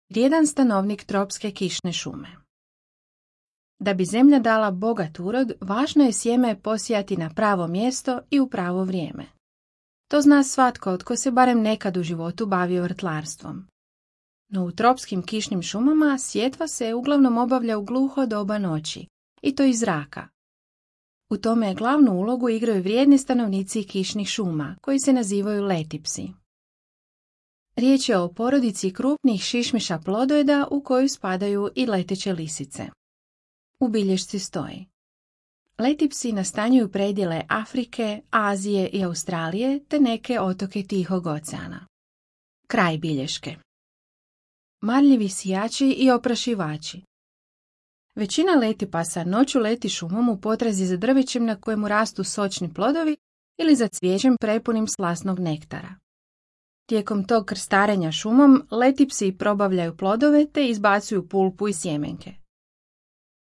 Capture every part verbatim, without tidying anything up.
vrijedan stanovnik tropske kišne šume. Da bi zemlja dala bogat urod, važno je sjeme posijati na pravo mjesto i u pravo vrijeme. To zna svatko tko se barem nekad u životu bavio vrtlarstvom. No u tropskim kišnim šumama sjetva se uglavnom obavlja u gluho doba noći, i to iz zraka. U tome glavnu ulogu igraju vrijedni stanovnici kišnih šuma, koji se nazivaju letipsi. Riječ je o porodici krupnih šišmiša plodojeda u koju spadaju i leteće lisice. U bilješci stoji: letipsi nastanjuju predjele Afrike, Azije i Australije te neke otoke Tihog oceana. Kraj bilješke. Marljivi sijači i oprašivači. Većina letipasa noću leti šumom u potrazi za drvećem na kojemu rastu sočni plodovi ili za cvijećem prepunim slasnog nektara. Tijekom tog krstarenja šumom letipsi probavljaju plodove te izbacuju pulpu i sjemenke.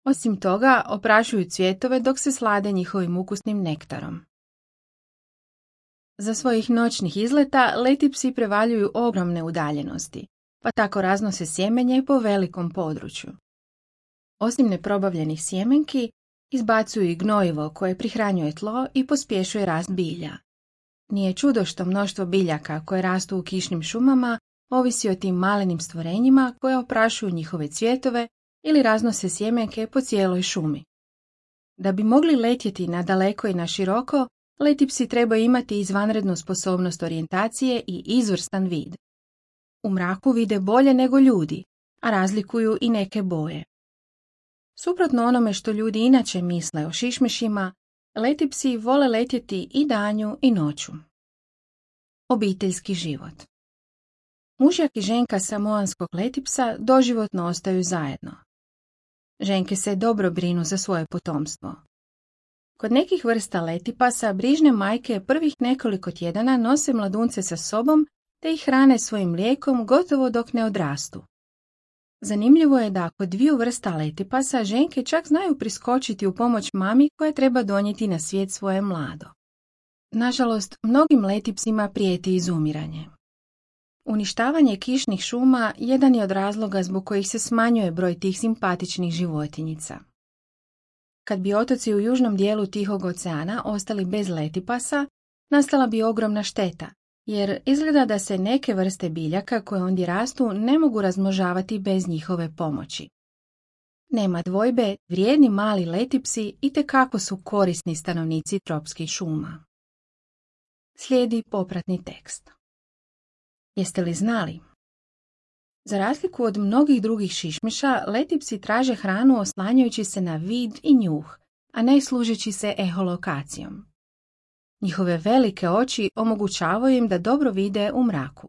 Osim toga, oprašuju cvjetove dok se slade njihovim ukusnim nektarom. Za svojih noćnih izleta letipsi prevaljuju ogromne udaljenosti, pa tako raznose sjemenje po velikom području. Osim neprobavljenih sjemenki, izbacuju i gnojivo koje prihranjuje tlo i pospješuje rast bilja. Nije čudo što mnoštvo biljaka koje rastu u kišnim šumama ovisi o tim malenim stvorenjima koje oprašuju njihove cvjetove ili raznose sjemenke po cijeloj šumi. Da bi mogli letjeti na daleko i na široko, letipsi trebaju imati izvanrednu sposobnost orijentacije i izvrstan vid. U mraku vide bolje nego ljudi, a razlikuju i neke boje. Suprotno onome što ljudi inače misle o šišmišima, letipsi vole letjeti i danju i noću. Obiteljski život. Mužjak i ženka samoanskog letipsa doživotno ostaju zajedno. Ženke se dobro brinu za svoje potomstvo. Kod nekih vrsta letipasa brižne majke prvih nekoliko tjedana nose mladunce sa sobom te ih hrane svojim mlijekom gotovo dok ne odrastu. Zanimljivo je da kod dviju vrsta letipasa ženke čak znaju priskočiti u pomoć mami koja treba donijeti na svijet svoje mlado. Nažalost, mnogim letipsima prijeti izumiranje. Uništavanje kišnih šuma jedan je od razloga zbog kojih se smanjuje broj tih simpatičnih životinjica. Kad bi otoci u južnom dijelu Tihog oceana ostali bez letipasa, nastala bi ogromna šteta, jer izgleda da se neke vrste biljaka koje ondje rastu ne mogu razmnožavati bez njihove pomoći. Nema dvojbe, vrijedni mali letipsi itekako su korisni stanovnici tropskih šuma. Slijedi popratni tekst. Jeste li znali? Za razliku od mnogih drugih šišmiša, letipsi traže hranu oslanjajući se na vid i njuh, a ne služeći se eholokacijom. Njihove velike oči omogućavaju im da dobro vide u mraku.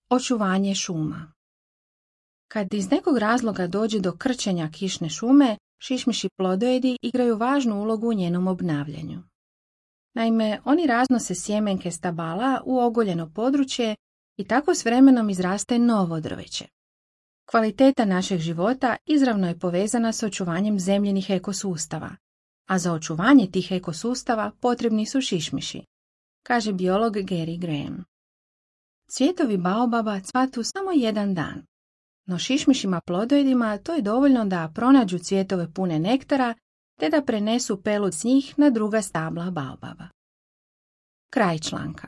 Očuvanje šuma. Kad iz nekog razloga dođe do krčenja kišne šume, šišmiši plodojedi igraju važnu ulogu u njenom obnavljanju. Naime, oni raznose sjemenke stabala u ogoljeno područje i tako s vremenom izraste novo drveće. Kvaliteta našeg života izravno je povezana s očuvanjem zemljinih ekosustava, a za očuvanje tih ekosustava potrebni su šišmiši, kaže biolog Gary Graham. Cvjetovi baobaba cvatu samo jedan dan, no šišmišima plodojedima to je dovoljno da pronađu cvjetove pune nektara te da prenesu pelud s njih na druga stabla baobaba. Kraj članka.